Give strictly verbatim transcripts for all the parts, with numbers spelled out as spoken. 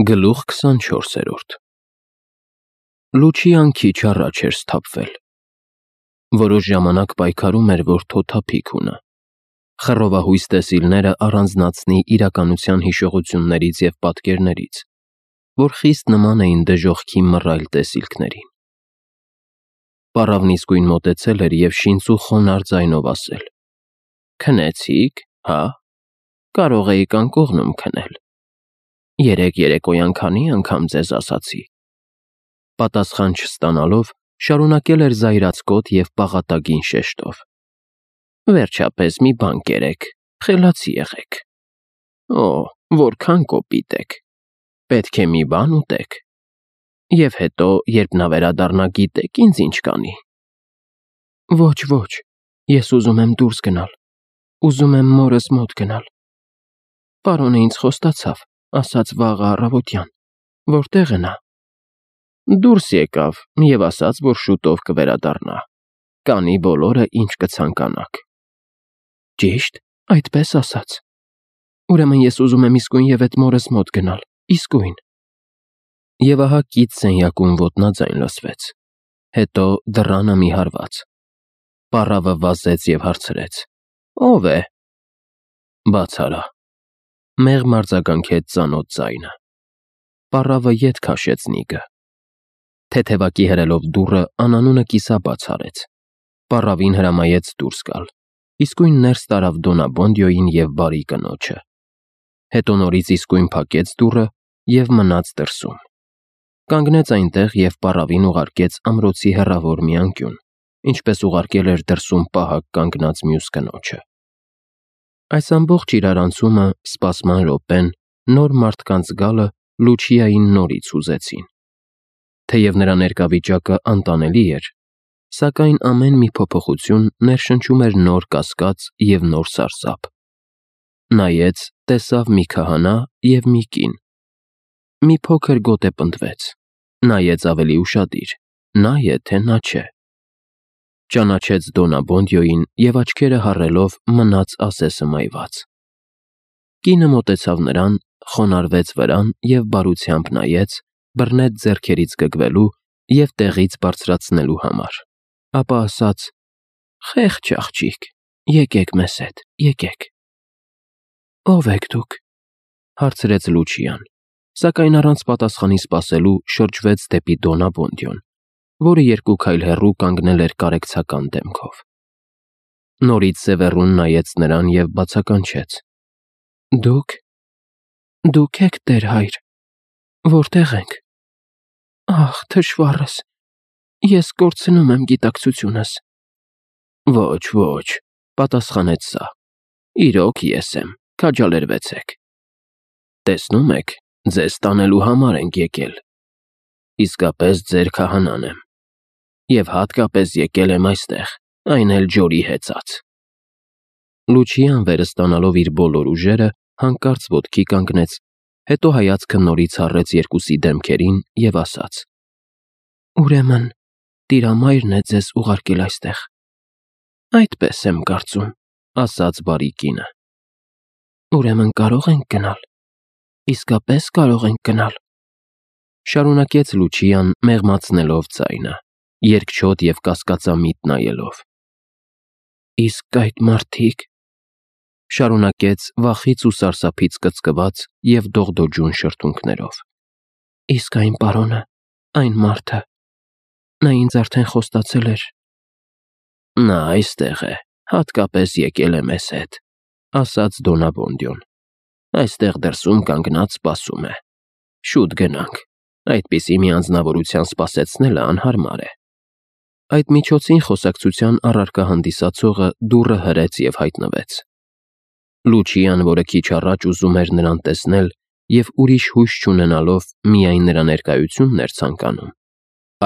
Գլուխ քսանչորսերորդ Լուչիան քիչ առաջ էր սթափվել։ Որոշ ժամանակ պայքարում էր, որ թոթափիկ ունը։ Խռովահույս տեսիլները առանձնացնի իրականության հիշողություններից և պատկերներից, որ խիստ նման էին դժոխքի մռայլ տեսիլքներին։ Պառավն իսկույն մոտեցել էր և շինծու խոնարհ ձայնով ասել. «Քնեցի՞ք, հա՞, կարող էիք անկողնում քնել։ Երեկ երեկոյան քանի՞ անգամ ձեզ ասացի»։ Պատասխան չստանալով, շարունակել էր զայրացկոտ և պաղատագին շեշտով. «Վերջապես մի բան կերեք, խելացի եղեք։ Օ, որքան կոպիտ եք։ Պետք է մի բան ուտեք։ Եվ հետո, երբ նա վերադառնա, գիտե՞ք ինձ ինչ կանի»։ «Ոչ, ոչ, ես ուզում եմ դուրս գնալ, ուզում եմ մորս մոտ գնալ։ Պարոնը ինձ խոստացավ, ասաց վաղը առավոտյան, որտե՞ղ է նա։ Դուրս եկավ և ասաց, որ շուտով կվերադառնա, կանի բոլորը, ինչ կցանկանաք»։ «Ճի՞շտ, այդպես ասաց։ Ուրեմն ես ուզում եմ իսկույն էդ մորս մոտ գնալ, իսկույն»։ Եվ ահա կից սենյակում ոտնաձայն լսվեց, հետո դռանը մի հարված։ Պառավը վազեց և հարցրեց. «Ո՞վ է»։ «Բաց արա», մեղմ արձագանքեց ծանոթ ձայնը։ Պառավը ետ քաշեց նիգը։ Թեթևակի հրելով դուռը անանունը կիսաբաց արեց։ Պառավին հրամայեց դուրս գալ, իսկույն ներս տարավ Դոնաբոնդյոյին և բարի կնոջը։ Հետո նորից իսկույն փակեց դուռը և մնաց դրսում։ Կանգնեց այնտեղ և պառավին ուղարկեց ամրոցի հեռավոր մի անկյուն, ինչպես ուղարկել էր դրսում պահակ կանգնած մյուս կնոջը։ Այս ամբողջ իրարանցումը, սպասման րոպեն, նոր մարդկանց գալը Լուչիային նորից հուզեցին։ Թեև նրա ներկա անտանելի էր, սակայն ամեն մի փոփոխություն ներշնչում էր նոր կասկած և նոր սարսափ։ Նայեց, տեսավ մի քահանա և մի կին։ Մի փոքր գոտեպնդվեց, նայեց ավելի ուշադիր, նա է, թե նա չէ։ Ճանաչեց Դոնաբոնդյոյին և աչքերը հառելով մնաց ասեսը մայված։ Կինը մոտեցավ նրան, խոնարհվեց վրան և բարությամբ նայեց, բռնեց ձեռքերից գգվելու և տեղից բարձրացնելու համար, ապա ասաց. «Խեղճ աղջիկ, եկեք մեզ հետ, եկեք»։ «Ո՞վ եք դուք»։ հարցրեց Լուչիան, սակայն առանց պատասխանի սպասելու շրջվեց դեպի Դոնաբոնդյոն, որը երկու քայլ հեռու կանգնել էր կարեկցական դեմքով։ Նորից սևեռուն նայեց նրան և բացականչեց. «Դուք… դուք ե՞ք, տեր հայր, որտե՞ղ ենք։ Ախ, թշվառս, ես կորցնում եմ գիտակցությունս»։ «Ոչ, ոչ», պատասխանեց սա, «իրոք ես եմ, քաջալերվեցեք։ Տեսնում եք, ձեզ տանելու համար ենք եկել։ Իսկապես ձեր քահանան եմ։ Եվ հատկապես եկել եմ այստեղ, այն էլ ջորի հեծած»։ Լուչիան վերը ստանալով իր բոլոր ուժերը, հանկարծ ոտքի կանգնեց, հետո հայացքը նորից հառեց երկուսի դեմքերին և ասաց. «Ուրեմն Տիրամայրն է ձեզ ուղարկել այստեղ»։ «Այդպես եմ կարծում», ասաց բարի կինը։ «Ուրեմն կարո՞ղ ենք գնալ, իսկապես կարո՞ղ ենք գնալ», շարունակեց Լուչիան մեղմացնելով ձայնը, երկչոտ և կասկածամիտ նայելով։ «Իսկ այդ մարդիկ…» շարունակեց վախից ու սարսափից կծկված և դողդոջուն շրթունքներով։ «Իսկ այն պարոնը, այն մարդը… նա ինձ արդեն խոստացել էր»։ «Նա այստեղ է, հատկապես եկել է մեզ հետ», ասաց Դոնաբոնդյոն։ «Այստեղ դրսում կանգնած սպասում է։ Շուտ գնանք, այդպիսի մի անձնավորության սպասեցնելը անհարմար է»։ Այդ միջոցին խոսակցության առարկա հանդիսացողը դուռը հրեց և հայտնվեց։ Լուչիան, որը քիչ առաջ ուզում էր նրան տեսնել և ուրիշ հույս չունենալով միայն նրա ներկայությունն էր ցանկանում,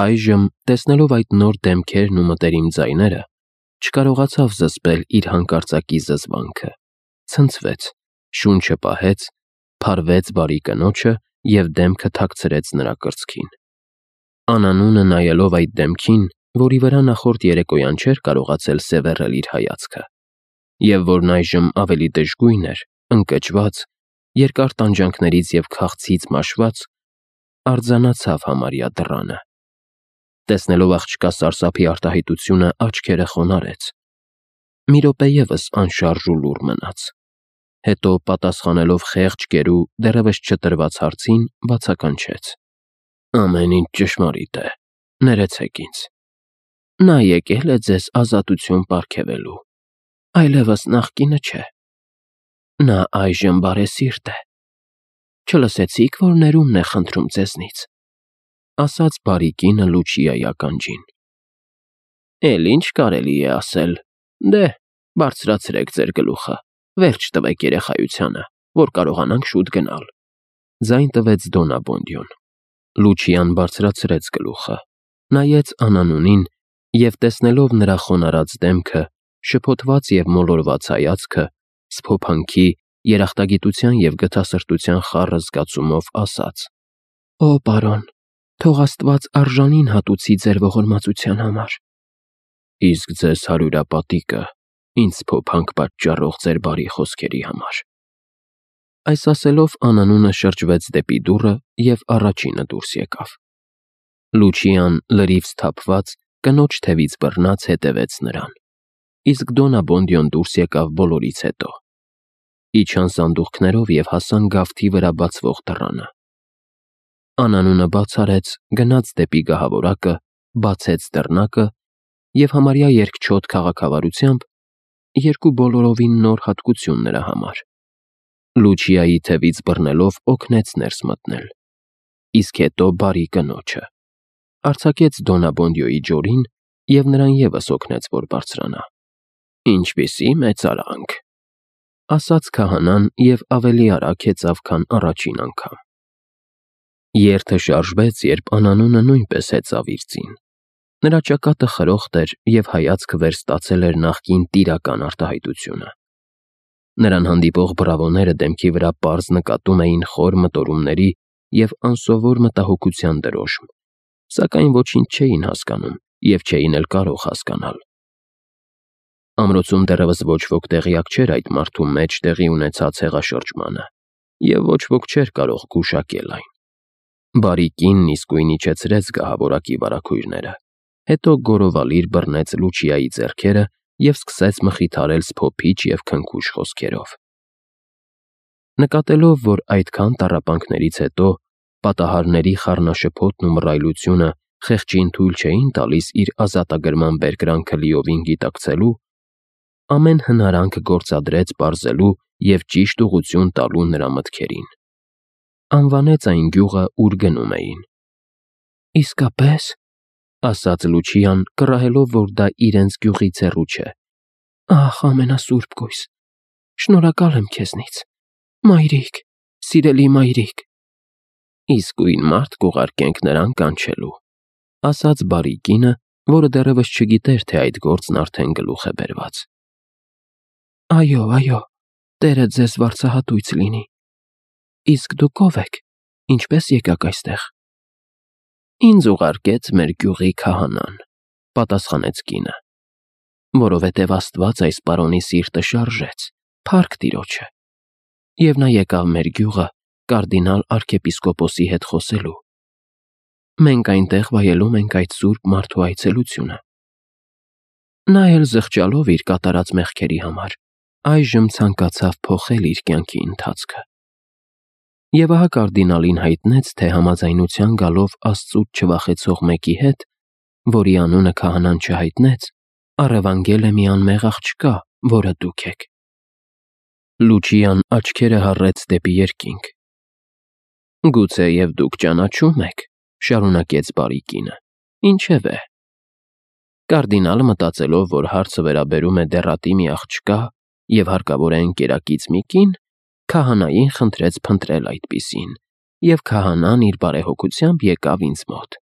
այժմ, տեսնելով այդ նոր դեմքերն ու մտերիմ ձայները, չկարողացավ զսպել իր հանկարծակի զզվանքը, ցնցվեց, շունչը պահեց, փարվեց բարի կնոջը և դեմքը թաքցրեց նրա կրծքին։ Անանունը նայելով այդ դեմքին, որի վրա նախորդ երեկոյան չէր կարողացել սևեռել իր հայացքը, և որն այժմ ավելի դժգույն էր, ընկճված երկար տանջանքներից և քաղցից մաշված, արձանացավ համարյա դռանը։ Տեսնելով աղջկա սարսափի արտահայտությունը, աչքերը խոնարհեց։ Մի րոպե ևս անշարժ ու լուռ մնաց։ Հետո, պատասխանելով խեղճ կերու դեռևս չտրված հարցին, բացականչեց. «Ամեն ինչ ճշմարիտ է, ներեցեք ինձ։ Նա եկել է ձեզ ազատություն պարգևելու, այլևս նախկինը չէ։ Նա այժմ բարեսիրտ է։ Չլսեցի՞ք, որ ներումն է խնդրում ձեզնից», ասաց բարի կինը Լուչիայի ականջին։ «Էլ ինչ կարելի է ասել։ Դե, բարձրացրեք ձեր գլուխը, վերջ տվեք երեխայությանը, որ կարողանանք շուտ գնալ», ձայն տվեց Դոննա Բոնդյոն։ Լուչիան բարձրացրեց գլուխը, նայեց Անանունին և, տեսնելով նրա խոնարհած դեմքը, շփոթված և մոլորված հայացքը, սփոփանքի, երախտագիտության և գթասրտության խառը զգացումով ասաց. «Օ, պարոն, թող Աստված արժանին հատուցի ձեր ողորմածության համար»։ «Իսկ ձեզ հարյուրապատիկը ինձ սփոփանք պատճառող ձեր բարի խոսքերի համար»։ Այս ասելով Անանունը շրջվեց դեպի դուռը և առաջինը դուրս եկավ։ Լուչիան, լրիվ սթափված, կնոջ թևից բռնած հետևեց նրան, իսկ Դոննա Բոնդյոն դուրս եկավ բոլորից հետո։ Իջան սանդուղքներով և հասան գավթի վրա բացվող դռանը։ Անանունը բաց արեց, գնաց դեպի գահավորակը, բացեց դռնակը և համարյա երկչոտ քաղաքավարությամբ, երկու բոլորովին նոր հատկություն նրա համար, Լուչիայի թևից բռնելով օգնեց ներս մտնել, իսկ հետո բարի կնոջը արձակեց Դոննա Բոնդյոյի ջորին և նրան ևս օգնեց, որ բարձրանա։ «Ինչպիսի մեծարանք», ասաց քահանան և ավելի արագ հեծավ, քան առաջին անգամ։ Երթը շարժվեց, երբ Անանունը նույնպես հեծավ իր ծին։ Նրա ճակատը խրոխտ էր և հայացքը վերստացել էր նախկին տիրական արտահայտությունը։ Նրան հանդիպող բրավոները դեմքի վրա պարզ նկատում էին խոր մտորումների և անսովոր մտահոգության դրոշմ, սակայն ոչինչ չէին հասկանում և չէին էլ կարող հասկանալ։ Ամրոցում դեռևս ոչ ոք տեղյակ չէր այդ մարդու մեջ տեղի ունեցած հեղաշրջմանը, և ոչ ոք չէր կարող գուշակել այն։ Բարի կինն իսկույն իջեցրեց գահավորակի վարագույրները, հետո գորովալիր բռնեց Լուչիայի ձեռքերը և սկսեց մխիթարել սփոփիչ և քնքուշ խոսքերով։ Նկատելով, որ այդքան տառապանքներից հետո պատահարների խառնաշփոթն ու մռայլությունը խեղճին թույլ չէին տալիս իր ազատագրման բերկրանքը լիովին գիտակցելու, ամեն հնարանք գործադրեց պարզելու և ճիշտ ուղղություն տալու նրա մտքերին։ Անվանեց այն գյուղը, ուր գնում էին։ «Իսկապե՞ս», ասաց Լուչիան, կռահելով, որ դա իրենց գյուղից հեռու չէ։ «Ահ, ամենասուրբ գույս, շնորհակալ եմ քեզնից, մայրիկ, սիրելի մայրիկ»։ «Իսկույն մարդ կուղարկենք նրան կանչելու», ասաց բարի կինը, որը դեռևս չգիտեր, թե այդ գործն արդեն գլուխ է բերված։ «Այո, այո, Տերը ձեզ վարձահատույց լինի։ Իսկ դուք ո՞վ եք, ինչպես եկաք այստեղ»։ «Ինձ ուղարկեց մեր գյուղի քահանան», պատասխանեց կինը, «որովհետև Աստված այս պարոնի սիրտը շարժեց, փառք Տիրոջը, և նա եկավ մեր գյուղը կարդինալ արքեպիսկոպոսի հետ խոսելու։ Մենք այնտեղ վայելում ենք այդ սուրբ մարդու այցելությունը։ Նա էլ զղջալով իր կատարած մեղքերի համար, այժմ ցանկացավ փոխել իր կյանքի ընթացքը։ Եվ ահա կարդինալին հայտնեց, թե համաձայնության գալով Աստծուց չվախեցող մեկի հետ, որի անունը քահանան չհայտնեց, առևանգել է մի անմեղ աղջկա, որը դուք եք»։ Լուչիան աչքերը հառեց դեպի երկինք։ «Գուցեև դուք ճանաչում եք», շարունակեց բարի կինը, «ինչևէ»։ Կարդինալը, մտածելով, որ հարցը վերաբերում է դեռատի մի աղջկա և հարկավոր է ընկերակից մի կին, քահանային խնդրեց փնտրել այդպիսին, և քահանան իր բարեհոգությամբ եկավ ինձ մոտ։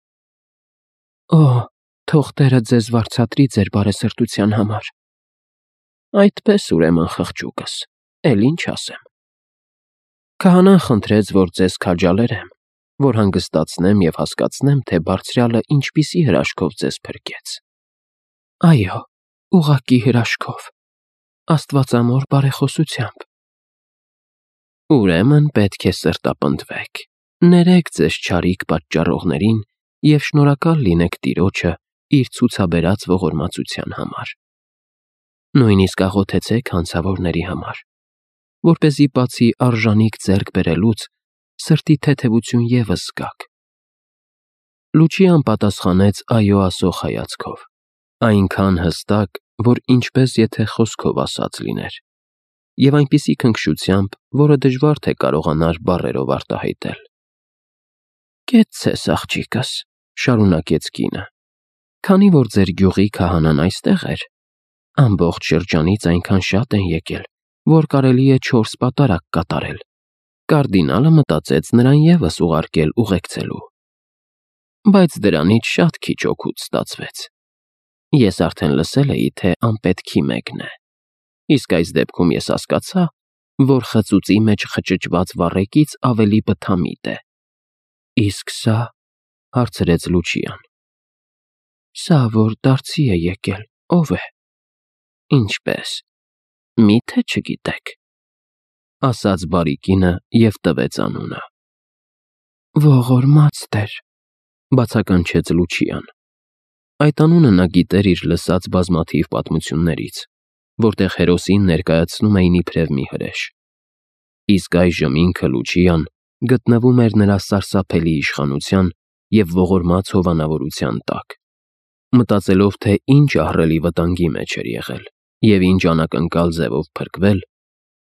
«Օ, թող Տերը ձեզ վարձատրի ձեր բարեսրտության համար»։ «Այդպես, ուրեմն, խղճուկս, էլ ինչ ասեմ։ Քահանան խնդրեց, որ ձեզ քաջալերեմ, որ հանգստացնեմ և հասկացնեմ, թե Բարձրյալը ինչպիսի հրաշքով ձեզ փրկեց»։ «Այո, ուղղակի հրաշքով, աստվածամոր բարեխոսությամբ»։ Ուրեմն պետք է սրտապնդվեք, ներեք ձեզ չարիք պատճառողներին և շնորհակալ լինեք Տիրոջը իր ցուցաբերած ողորմածության համար։ Նույնիսկ աղոթեցեք հանցավորների համար, որպեսզի բացի արժանիք ձեռք բերելուց, սրտի թեթևություն ևս զգաք։ Լուչիան պատասխանեց այո ասող հայացքով, այնքան հստակ, որ ինչպես եթե խոսքով ասած լիներ, և այնպիսի քնքշությամբ, որը դժվար թե կարողանար բառերով արտահայտել։ Կեցցես, աղջիկս, շարունակեց կինը, քանի որ ձեր գյուղի քահանան այստեղ էր, ամբողջ շրջանից այնքան շատ են եկել, որ կարելի է չորս պատարագ կատարել։ Կարդինալը մտածեց նրան ևս ուղարկել ուղեկցելու։ Բայց դրանից շատ քիչ օգուտ ստացվեց։ Ես արդեն լսել էի, թե անպետքի մեկն է, իսկ այս դեպքում ես հասկացա, որ խծուծի մեջ խճճված վառեկից ավելի բթամիտ է։ Իսկ սա, հարցրեց Լուչիան։ Սա, որ դարձի է եկել, ո՞վ է։ Ինչպես, միթե չգիտեք, ասաց բարի կինը և տվեց անունը։ Ողորմած Տեր, բացականչեց Լուչիան։ Այդ անունը նա գիտեր իր լսած բազմաթիվ պատմություններից, որտեղ հերոսին ներկայացնում էին իբրև մի հրեշ։ Իսկ այժմ ինքը Լուչիան գտնվում էր նրա սարսափելի իշխանության և ողորմած հովանավորության տակ, մտածելով, թե ինչ ահռելի վտանգի մեջ էր եղել և ինչ անակնկալ ձևով փրկվել,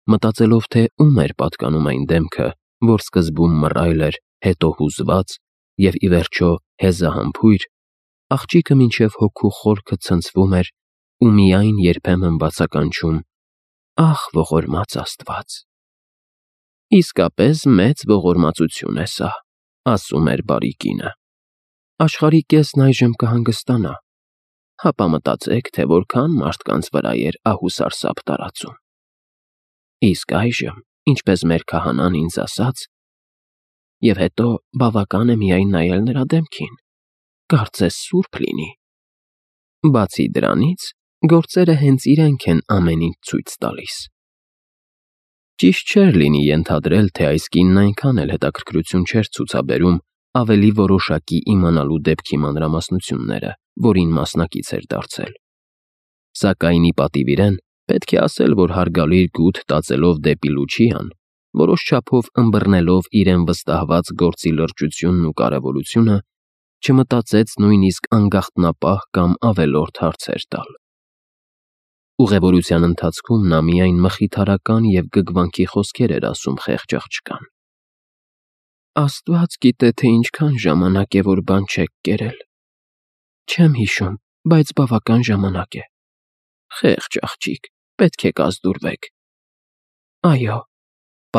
մտածելով, թե ում էր պատկանում այն դեմքը, որ սկզբում մռայլ էր, հետո հուզված և ի վերջո հեզահամբույր, աղջիկը մինչև հոգու խորքը ցնցվում էր ու միայն երբեմն բացականչում. «Ախ, ողորմած Աստված»։ Իսկապես մեծ ողորմածություն է սա, ասում էր բարի կինը։ Աշխարհի կեսն այժմ կհանգստանա, հապա մտածեք, թե որքան մարդկանց վրա էր ահուսարսափ տարածում։ Իսկ այժմ, ինչպես մեր քահանան ինձ ասաց, և հետո բավական է միայն նայել նրա դեմքին, կարծես սուրբ լինի։ Բացի դրանից, գործերը հենց իրենք են ամեն ինչ ցույց տալիս։ Ճիշտ չէր լինի ենթադրել, թե այս կինն այնքան էլ հետաքրքրություն չէր ցուցաբերում ավելի որոշակի իմանալու դեպքի մանրամասնությունները, որին մասնակից էր դարձել։ Սակայն ի պատիվ իրեն, պետք է ասել, որ հարգալից գութ տածելով դեպի Լուչիան, որոշ չափով ըմբռնելով իրեն վստահված գործի լրջությունն ու կարևորությունը, չմտածեց նույնիսկ անգախտնապահ կամ ավելորդ հարցեր տալ։ Ուղևորության ընթացքում նա միայն մխիթարական և գգվանքի խոսքեր էր ասում խեղճ աղջկան։ Աստված գիտե, թե ինչքան ժամանակ է, որ բան չեք կերել։ Չեմ հիշում, բայց բավական ժամանակ է։ Խեղճ աղջիկ, պետք է կազդուրվեք։ Այո,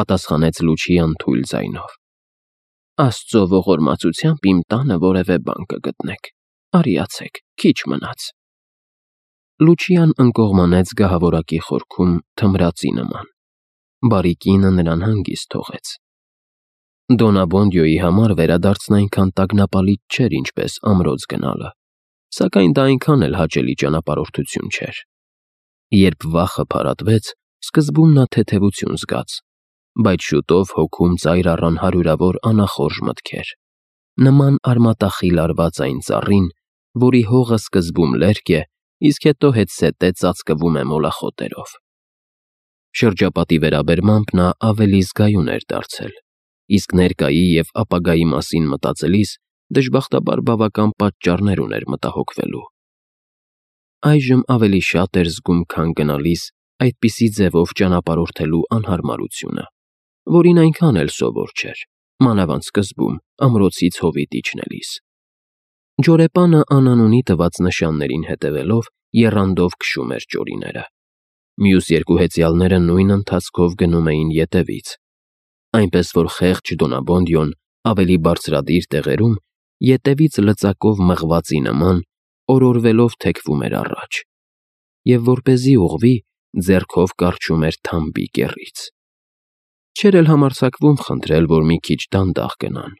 պատասխանեց Լուչիան թույլ ձայնով։ Աստծո ողորմածությամբ իմ տանը որևէ բան կգտնեք։ Արիացեք, քիչ մնաց։ Լուչիան ընկողմանեց գահավորակի խորքում թմրածի նման։ Բարի կինը նրան հանգիստ թողեց։ Դոնաբոնդյոյի համար վերադարձն այնքան տագնապալից չէր, ինչպես ամրոց գնալը, սակայն դա այնքան էլ հաճելի ճանապարհորդություն չէր։ Երբ վախը փարատվեց, սկզբում նա թեթևություն զգաց, բայց շուտով հոգում ծայր առան հարյուրավոր անախորժ մտքեր, նման արմատախիլ արված այն ծառին, որի հողը սկզբում լերկ է, իսկ հետո հետզհետե ծածկվում է մոլախոտերով։ Շրջապատի վերաբերմամբ նա ավելի զգայուն էր դարձել, իսկ ներկայի և ապագայի մասին մտածելիս դժբախտաբար բավական պատճառներ ուներ մտահոգվելու։ Այժմ ավելի շատ էր զգում, քան գնալիս այդպիսի ձևով ճանապարհորդելու անհարմարությունը, որին այնքան էլ սովոր չէր, մանավանդ սկզբում ամրոցից հովիտ իջնելիս։ Ջորեպանը անանունի տված նշաններին հետևելով եռանդով քշում էր ճորիները։ Մյուս երկու հեծյալները նույն ընթացքով գնում էին ետևից, այնպես որ խեղճ Դոնաբոնդյոն ավելի բարձրադիր տեղերում ետևից լծակով մղվածի նման օրորվելով թեքվում էր առաջ, և որպեսզի ուղղվի, ձեռքով կառչում էր թամբի կեռից։ Չէր էլ համարձակվում խնդրել, որ մի քիչ դանդաղ գնան։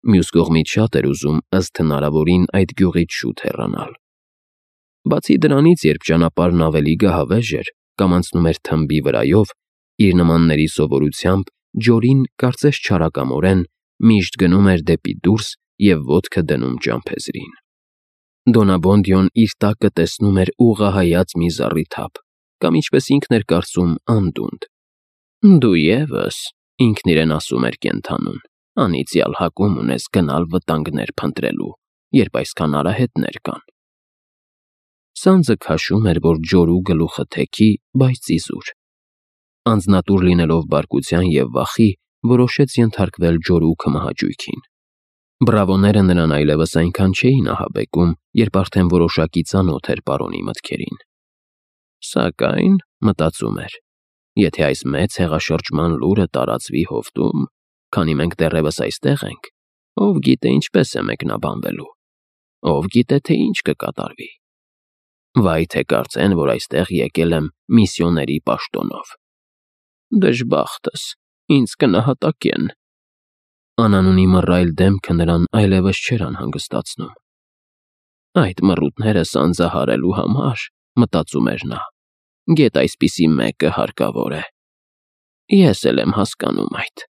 Մյուս կողմից շատ էր ուզում ըստ հնարավորին այդ գյուղից շուտ հեռանալ։ Բացի դրանից, երբ ճանապարհն ավելի գահավեժ էր կամ անցնում էր թմբի վրայով, իր նմանների սովորությամբ Ջորին կարծես չարակամորեն միշտ գնում էր դեպի դուրս և ոտքը դնում ճամփեզրին։ Դոնաբոնդյոն իր տակը տեսնում էր ուղղահայաց մի զառիթափ կամ, ինչպես ինքն էր կարծում, անդունդ։ «Դու ևս,» ինքն իրեն ասում էր կենդանուն, «անիծյալ հակում ունես գնալ վտանգներ փնտրելու, երբ այսքան արահետներ կան»։ Սանձը քաշում էր, որ Ջորու գլուխը թեքի, բայց իզուր։ Անձնատուր լինելով բարկության և վախի, որոշեց ենթարկվել Ջորու քմահաճույքին։ Բրավոները նրան այլևս այնքան չէին ահաբեկում, երբ արդեն որոշակի ծանոթ էր պարոնի մտքերին։ «Սակայն,» մտածում էր, «եթե այս մեծ հեղաշրջման լուրը տարածվի հովտում, քանի մենք դեռևս այստեղ ենք, ով գիտե ինչպես է մեկնաբանվելու, ով գիտե, թե ինչ կկատարվի։ Վայ թե կարծեն, որ այստեղ եկել եմ միսիոների պաշտոնով։ Դժբախտս, ինձ կնահատակեն»։ Անանունի մռայլ դեմքը նրան այլևս չէր անհանգստացնում։ «Այդ մռութները սանձահարելու համար,» մտածում էր նա, «գեթ այսպիսի մեկը հարկավոր է։ Ես էլ եմ հասկանում այդ։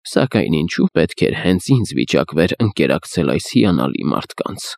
Սակայն ինչու պետք էր հենց ինձ վիճակվեր ընկերակցել այս հիանալի մարդկանց»։